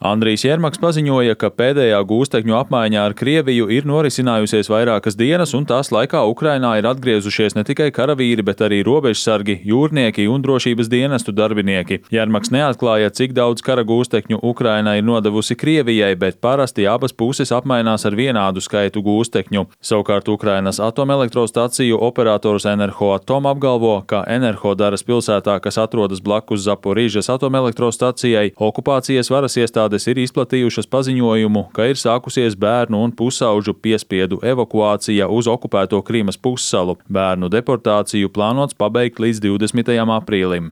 Andrijs Jermaks paziņoja, ka pēdējā gūstekņu apmaiņā ar Krieviju ir norisinājusies vairākas dienas, un tās laikā Ukrainā ir atgriezušies ne tikai karavīri, bet arī robežsargi, jūrnieki un drošības dienestu darbinieki. Jermaks neatklāja, cik daudz kara gūstekņu Ukraina ir nodevusi Krievijai, bet parasti abas puses apmainās ar vienādu skaitu gūstekņu. Savukārt Ukrainas atomelektrostaciju operators Enerhoatom apgalvo, ka Enerhodaras pilsētā, kas atrodas blakus Zaporižas atomelektrostacijai, okupācijas varas iestādes ir izplatījušas paziņojumu, ka ir sākusies bērnu un pusauģu piespiedu evakuācija uz okupēto Krīmas pussalu. Bērnu deportāciju plānots pabeigt līdz 20. aprīlim.